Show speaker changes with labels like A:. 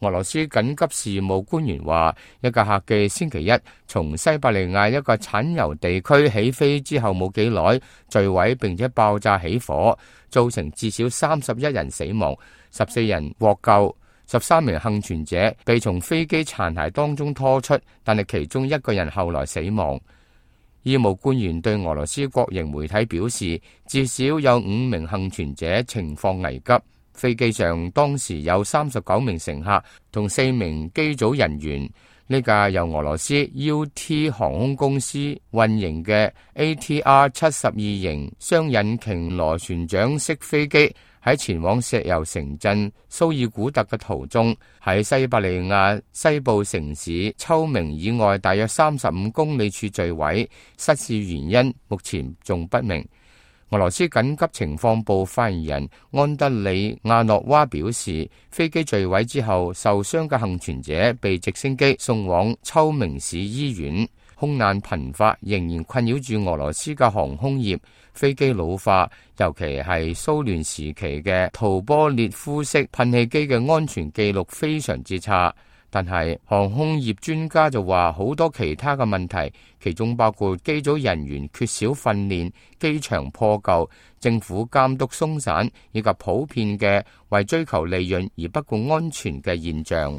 A: 俄羅斯緊急事務官員話，一架客機星期一從西伯利亞一個產油地區起飛之後冇幾耐墜毀，並且爆炸起火，造成至少31人死亡，14人獲救。13名幸存者被從飛機殘骸當中拖出，但係其中1個人後來死亡。醫務官員對俄羅斯國營媒體表示，至少有5名幸存者情況危急。飛機上當時有39名乘客同4名機組人員。呢架由俄羅斯 UT 航空公司運營嘅 ATR-72 型雙引擎螺旋槳式飛機喺前往石油城鎮蘇爾古特嘅途中，喺西伯利亞西部城市秋明以外大約35公里處墜毀，失事原因目前仲不明。俄羅斯緊急情況部發言人安德里亞諾娃表示，飛機墜毀之後，受傷嘅幸存者被直升機送往秋明市醫院。空難頻發仍然困擾住俄羅斯嘅航空業，飛機老化，尤其係蘇聯時期嘅圖波列夫式噴氣機嘅安全記錄非常之差。但係航空業專家就話好多其他嘅問題，其中包括機組人員缺少訓練、機場破舊、政府監督鬆散，以及普遍嘅為追求利潤而不顧安全嘅現象。